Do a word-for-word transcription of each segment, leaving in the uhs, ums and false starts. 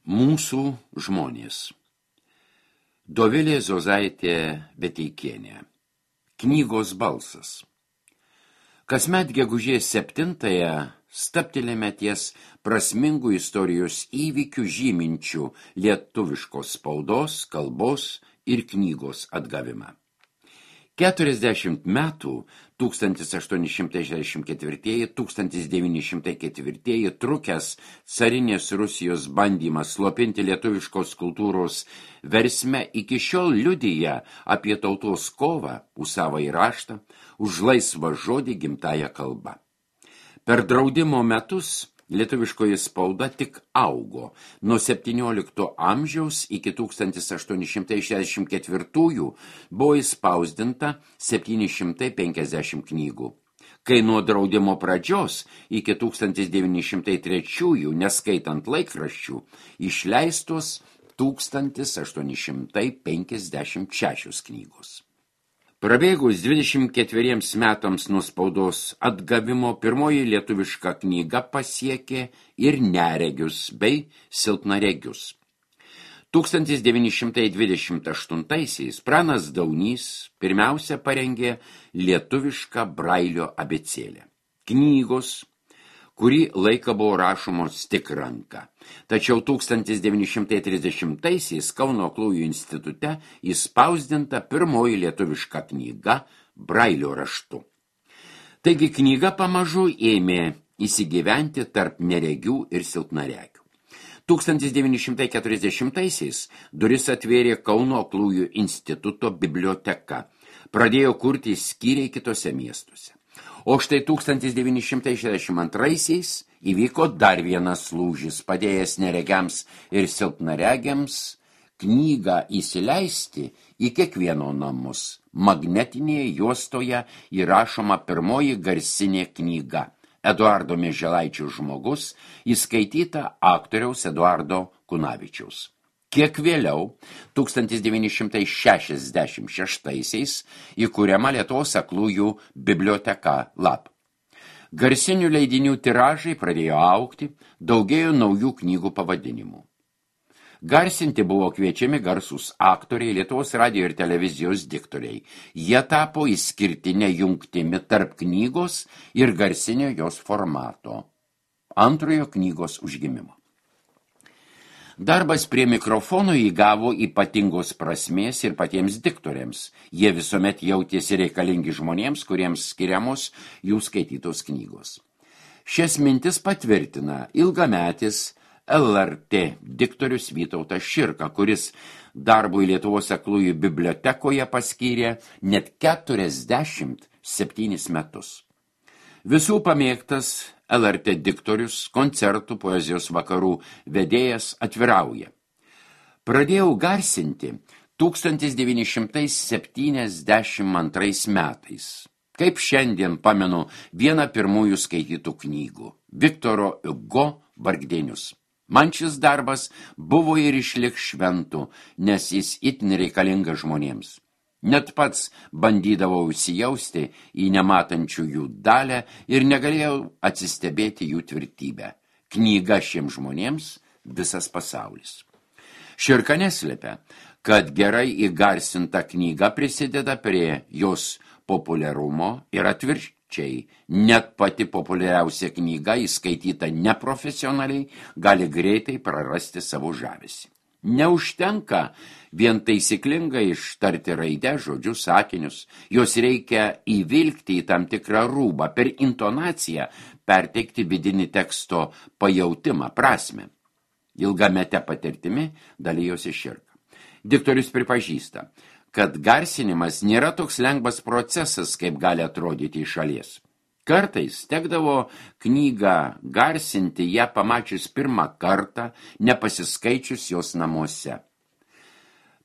Mūsų žmonės. Dovilė Zozaitė Beteikienė. Knygos balsas. Kasmet gegužės septintąją stabtelėme ties prasmingų istorijos įvykių žyminčių lietuviškos spaudos, kalbos ir knygos atgavimą. Keturiasdešimt metų tūkstantis aštuoni šimtai šešiasdešimt ketvirtieji - tūkstantis devyni šimtai ketvirtieji trukęs carinės Rusijos bandymas slopinti lietuviškos kultūros versmę iki šiol liudija apie tautos kovą už savąjį raštą, už laisvą žodį gimtąją kalbą. Per draudimo metus lietuviškoji spauda tik augo. Nuo septyniolikto amžiaus iki tūkstantis aštuoni šimtai šešiasdešimt ketvirtųjų buvo įspausdinta septyni šimtai penkiasdešimt knygų, kai nuo draudimo pradžios iki tūkstantis devyni šimtai trečiųjų, neskaitant laikraščių, išleistos tūkstantis aštuoni šimtai penkiasdešimt šešios knygos. Prabėgus dvidešimt ketveriems metams nuo spaudos atgavimo, pirmoji lietuviška knyga pasiekė ir neregius bei silpnaregius. tūkstantis devyni šimtai dvidešimt aštuntaisiais Pranas Daunys pirmiausia parengė lietuvišką brailio abėcėlę. Knygos, kurį laiką buvo rašomos tik ranka. Tačiau tūkstantis devyni šimtai trisdešimtaisiais Kauno Aklųjų institute įspausdinta pirmoji lietuviška knyga brailio raštu. Taigi knyga pamažu ėmė įsigyventi tarp neregių ir silpnaregių. tūkstantis devyni šimtai keturiasdešimtaisiais duris atvėrė Kauno Aklųjų instituto biblioteka. Pradėjo kurti skyriai kitose miestuose. O štai tūkstantis devyni šimtai šešiasdešimt antraisiais įvyko dar vienas lūžis, padėjęs neregiams ir silpnaregiams knygą įsileisti į kiekvieno namus. Magnetinėje juostoje įrašoma pirmoji garsinė knyga Eduardo Mieželaičio žmogus, įskaityta aktoriaus Eduardo Kunavičiaus. Kiek vėliau, tūkstantis devyni šimtai šešiasdešimt šeštaisiais, įkuriama Lietuvos aklųjų biblioteka Lab. Garsinių leidinių tiražai pradėjo augti, daugėjo naujų knygų pavadinimų. Garsinti buvo kviečiami garsūs aktoriai, Lietuvos radijo ir televizijos diktoriai. Jie tapo išskirtinę jungtimi tarp knygos ir garsinio jos formato, antrojo knygos užgimimo. Darbas prie mikrofono įgavo ypatingos prasmės ir patiems diktoriams. Jie visuomet jautėsi reikalingi žmonėms, kuriems skiriamos jų skaitytos knygos. Šias mintis patvirtina ilgametis L R T diktorius Vytautas Širka, kuris darbui Lietuvos aklųjų bibliotekoje paskyrė net keturiasdešimt septynis metus. Visų pamėgtas L R T diktorius, koncertų, poezijos vakarų vedėjas atvirauja. Pradėjau garsinti tūkstantis devyni šimtai septyniasdešimt antrais metais. Kaip šiandien pamenu vieną pirmųjų skaitytų knygų – Viktoro Hugo Vargdienius. Man šis darbas buvo ir išliks šventu, nes jis itin reikalingas žmonėms. Net pats bandydavau įsijausti į nematančių jų dalę ir negalėjau atsistebėti jų tvirtybę. Knyga šiems žmonėms visas pasaulis. Širka neslėpia, kad gerai įgarsinta knyga prisideda prie jos populiarumo ir atvirkščiai. Net pati populiariausia knyga, įskaityta neprofesionaliai, gali greitai prarasti savo žavesį. Neužtenka vien taisyklingai ištarti raidę, žodžius, sakinius. Jos reikia įvilkti į tam tikrą rūbą, per intonaciją perteikti vidinį teksto pajautimą, prasmę. Ilgamete patirtimi dalijosi Širka. Diktorius pripažįsta, kad garsinimas nėra toks lengvas procesas, kaip gali atrodyti iš šalies. Kartais tekdavo knygą garsinti ją pamačius pirmą kartą, nepasiskaičius jos namuose.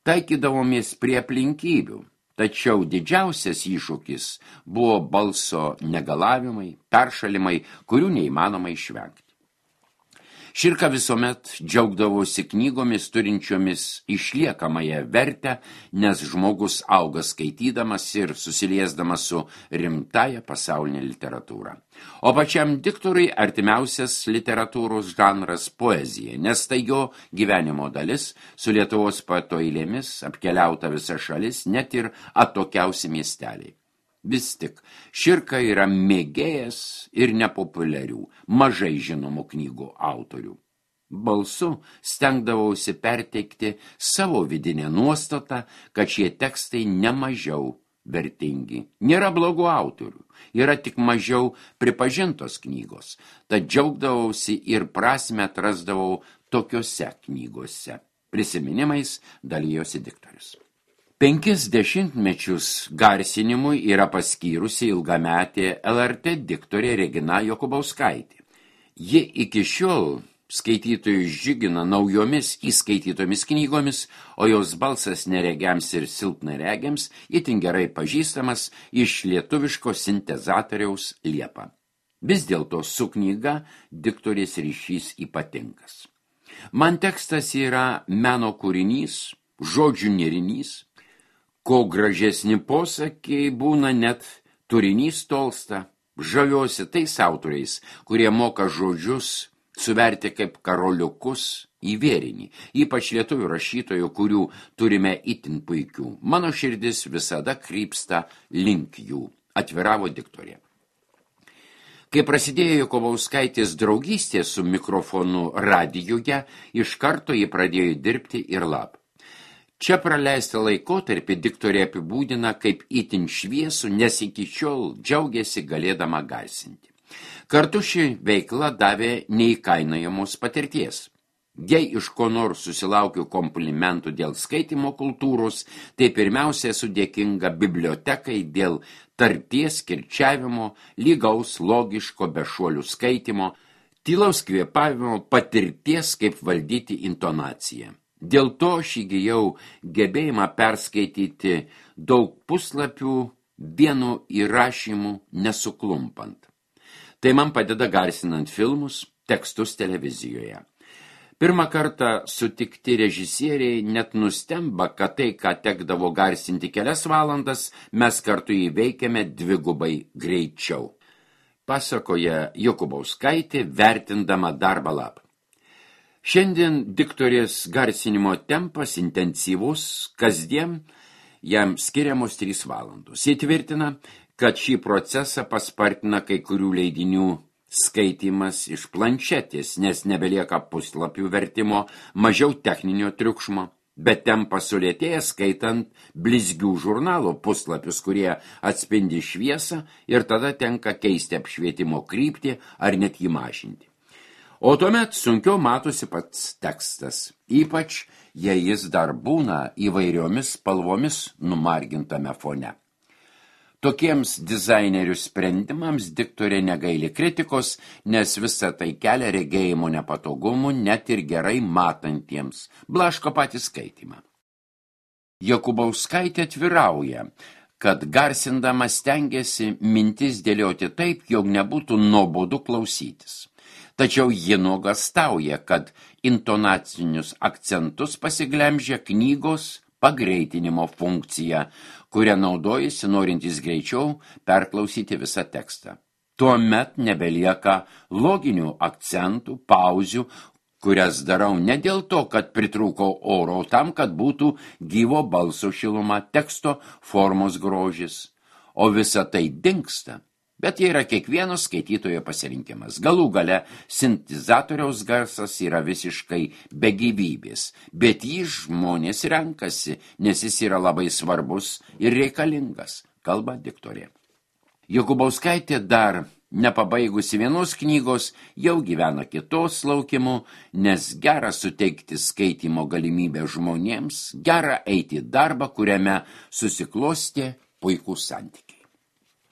Taikydavomės prie aplinkybių, tačiau didžiausias iššūkis buvo balso negalavimai, peršalimai, kurių neįmanoma išvengti. Širka visuomet džiaugdavosi knygomis turinčiomis išliekamąją vertę, nes žmogus auga skaitydamas ir susiliesdamas su rimtąja pasaulinė literatūra. O pačiam diktoriui artimiausias literatūros žanras poezija, nes tai jo gyvenimo dalis, su Lietuvos poeto eilėmis apkeliauta visa šalis, net ir atokiausi miesteliai. Vis tik, Širka yra mėgėjas ir nepopuliarių, mažai žinomų knygų autorių. Balsu stengdavausi perteikti savo vidinę nuostatą, kad šie tekstai nemažiau vertingi. Nėra blogų autorių, yra tik mažiau pripažintos knygos, tad džiaugdavausi ir prasmę atrasdavau tokiose knygose. Prisiminimais dalijosi diktorius. Penkis dešimtmečius garsinimui yra paskyrusi ilgametė L R T diktorė Regina Jokubauskaitė. Ji iki šiol skaitytojus džiugina naujomis įskaitytomis knygomis, o jos balsas neregiams ir silpnaregiams itin gerai pažįstamas iš lietuviško sintezatoriaus Liepa. Vis dėlto su knyga diktorės ryšys ypatingas. Man tekstas yra meno kūrinys, žodžių nerinys. Ko gražesni posakiai būna, net turinys tolsta. Žaviuosi tais autoriais, kurie moka žodžius suverti kaip karoliukus į vėrinį, ypač lietuvių rašytojų, kurių turime itin puikių. Mano širdis visada krypsta link jų, atviravo diktorė. Kai prasidėjo Jokubauskaitės draugystė su mikrofonu radijuje, iš karto ji pradėjo dirbti ir lab. Čia praleistą laikotarpį diktorė apibūdina kaip itin šviesų, nes iki šiol džiaugiasi galėdama garsinti. Kartu ši veikla davė neįkainojamos patirties. Jei iš ko nors susilaukiu komplimentų dėl skaitymo kultūros, tai pirmiausia esu dėkinga bibliotekai dėl tarties kirčiavimo, lygaus, logiško, bešuolių skaitymo, tylaus kvėpavimo, patirties, kaip valdyti intonaciją. Dėl to aš įgijau gebėjimą perskaityti daug puslapių vienu įrašymu nesuklumpant. Tai man padeda garsinant filmus, tekstus televizijoje. Pirmą kartą sutikti režisieriai net nustemba, kad tai, ką tekdavo garsinti kelias valandas, mes kartu įveikėme dvigubai greičiau. Pasakoja Jokubauskaitė, vertindama darbą lab. Šiandien diktorės garsinimo tempas intensyvus, kasdien jam skiriamos trys valandos. Įtvirtina, kad šį procesą paspartina kai kurių leidinių skaitymas iš planšetės, nes nebelieka puslapių vertimo, mažiau techninio triukšmo, bet tempas sulėtėja skaitant blizgių žurnalo puslapius, kurie atspindi šviesą ir tada tenka keisti apšvietimo kryptį ar net jį mažinti. O tuomet sunkiau matosi pats tekstas, ypač jei jis dar būna įvairiomis spalvomis numargintame fone. Tokiems dizainerių sprendimams diktorė negaili kritikos, nes visa tai kelia regėjimo nepatogumų net ir gerai matantiems, blaško patį skaitymą. Jokubauskaitė atvirauja, kad garsindama stengiasi mintis dėlioti taip, jog nebūtų nuobodu klausytis. Tačiau ji nuogastauja, kad intonacinius akcentus pasiglemžia knygos pagreitinimo funkcija, kurią naudojasi norintys greičiau perklausyti visą tekstą. Tuomet nebelieka loginių akcentų, pauzių, kurias darau ne dėl to, kad pritrūko oro, tam, kad būtų gyvo balso šiluma, teksto formos grožis, o visa tai dingsta. Bet jie yra kiekvieno skaitytojo pasirinkimas. Galų gale sintezatoriaus garsas yra visiškai be gyvybės, bet jį žmonės renkasi, nes jis yra labai svarbus ir reikalingas, kalba diktorė. Jokubauskaitė dar nepabaigusi vienos knygos jau gyvena kitos laukimu, nes gera suteikti skaitymo galimybę žmonėms, gera eiti į darbą, kuriame susiklostė puikūs santykiai.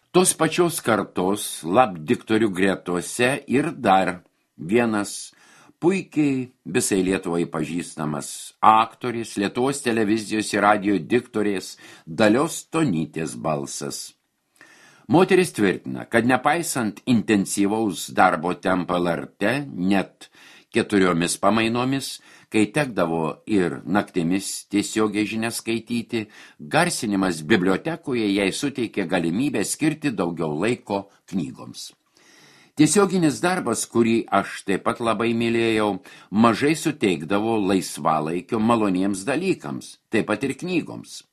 Tos pačios kartos lab diktorių gretose ir dar vienas puikiai visai Lietuvai pažįstamas aktorius, Lietuvos televizijos ir radijo diktorės Dalios Stonytės balsas. Moteris tvirtina, kad nepaisant intensyvaus darbo tempo L R T, net keturiomis pamainomis, kai tekdavo ir naktimis tiesiogiai žinias skaityti, garsinimas bibliotekoje jai suteikė galimybę skirti daugiau laiko knygoms. Tiesioginis darbas, kurį aš taip pat labai mylėjau, mažai suteikdavo laisvalaikio maloniems dalykams, taip pat ir knygoms.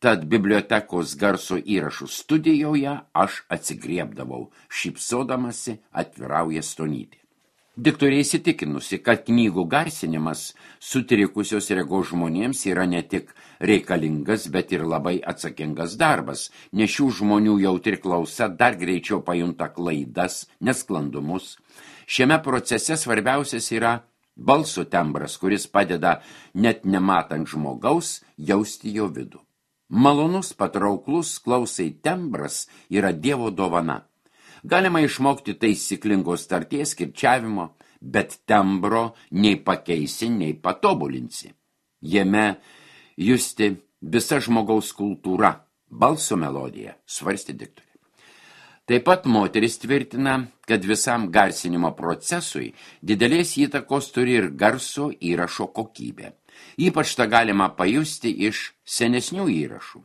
Tad bibliotekos garso įrašų studijoje aš atsigriebdavau, šypsodamasi atvirauja Stonytė. Diktorė įsitikinusi, kad knygų garsinimas sutrikusios regos žmonėms yra ne tik reikalingas, bet ir labai atsakingas darbas, nes šių žmonių jautri klausa dar greičiau pajunta klaidas, nesklandumus. Šiame procese svarbiausias yra balso tembras, kuris padeda net nematant žmogaus jausti jo vidų. Malonus, patrauklus klausai tembras yra Dievo dovana. Galima išmokti taisyklingos tarties kirčiavimo, bet tembro nei pakeisi, nei patobulinsi. Jame justi visa žmogaus kultūra, balso melodija, svarstė diktorė. Taip pat moteris tvirtina, kad visam garsinimo procesui didelės įtakos turi ir garso įrašo kokybė. Ypač tą galima pajusti iš senesnių įrašų.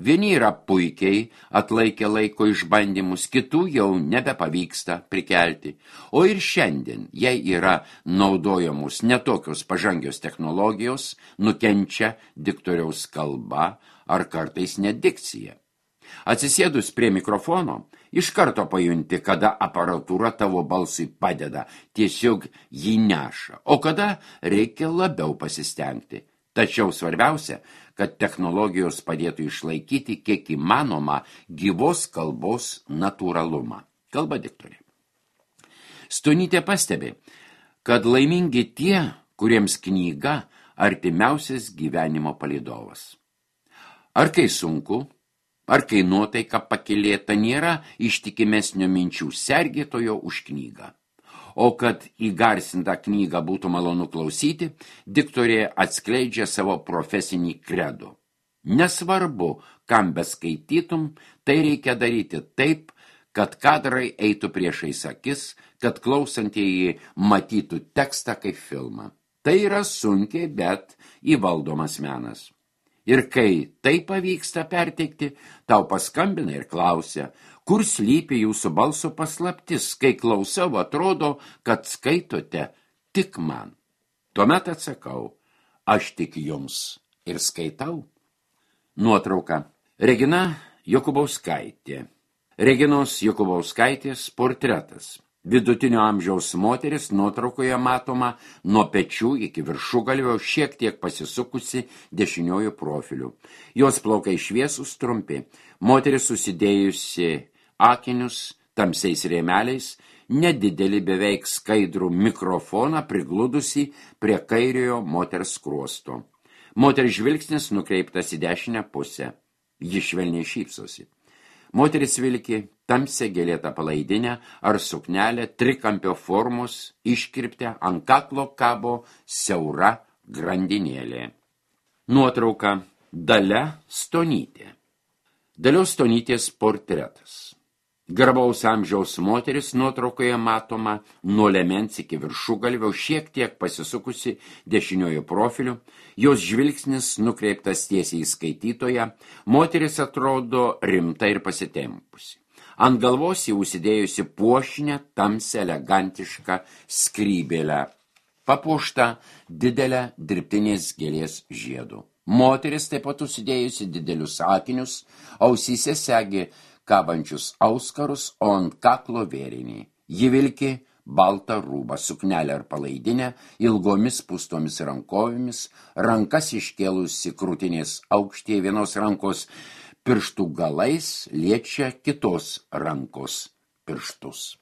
Vieni yra puikiai atlaikę laiko išbandymus, kitų jau nebepavyksta prikelti. O ir šiandien, jei yra naudojamos netokios pažangios technologijos, nukenčia diktoriaus kalba ar kartais net dikcija. Atsisėdus prie mikrofono, iš karto pajunti, kada aparatūra tavo balsui padeda, tiesiog jį neša, o kada reikia labiau pasistengti. Tačiau svarbiausia, kad technologijos padėtų išlaikyti kiek įmanoma gyvos kalbos natūralumą. Kalba diktorė. Stonytė pastebi, kad laimingi tie, kuriems knyga artimiausias gyvenimo palydovas. Ar kai sunku, ar kai nuotaika pakylėta, nėra ištikimesnio minčių sergėtojo už knygą. O kad įgarsintą knygą būtų malonu klausyti, diktorė atskleidžia savo profesinį kredo. Nesvarbu, kam beskaitytum, tai reikia daryti taip, kad kadrai eitų priešais akis, kad klausantieji matytų tekstą kaip filmą. Tai yra sunkiai, bet įvaldomas menas. Ir kai tai pavyksta perteikti, tau paskambina ir klausia, kur slypi jūsų balso paslaptis, kai klausau, atrodo, kad skaitote tik man. Tuomet atsakau, aš tik jums ir skaitau. Nuotrauka. Regina Jokubauskaitė. Reginos Jokubauskaitės portretas. Vidutinio amžiaus moteris nuotraukoje matoma nuo pečių iki viršugalvio, šiek tiek pasisukusi dešiniojų profilių. Jos plaukai šviesūs trumpi. Moteris susidėjusi akinius tamsiais rėmeliais, nedidelį beveik skaidrų mikrofoną prigludusi prie kairiojo moters skruosto. Moters žvilgsnis nukreiptas į dešinę pusę. Ji švelniai šypsosi. Moteris vilki tamsią gėlėtą palaidinę ar suknelę trikampio formos, iškirptę, ant kaklo kabo siaura grandinėlė. Nuotrauka. Dalia Stonytė. Dalios Stonytės portretas. Garbaus amžiaus moteris nuotraukoje matoma nuo liemens iki viršugalvio, šiek tiek pasisukusi dešiniojo profiliu, jos žvilgsnis nukreiptas tiesiai į skaitytoją, moteris atrodo rimta ir pasitempusi. Ant galvos jį užsidėjusi puošnę, tamsią, elegantišką skrybėlę, papuoštą didelę dirbtinės gėlės žiedu. Moteris taip pat užsidėjusi didelius akinius, ausyse segi kabančius auskarus, o ant kaklo vėrinį. Ji vilki baltą rūbą, suknelę ar palaidinę, ilgomis pustomis rankovėmis, rankas iškėlusi krūtinės aukštyje, vienos rankos pirštų galais liečia kitos rankos pirštus.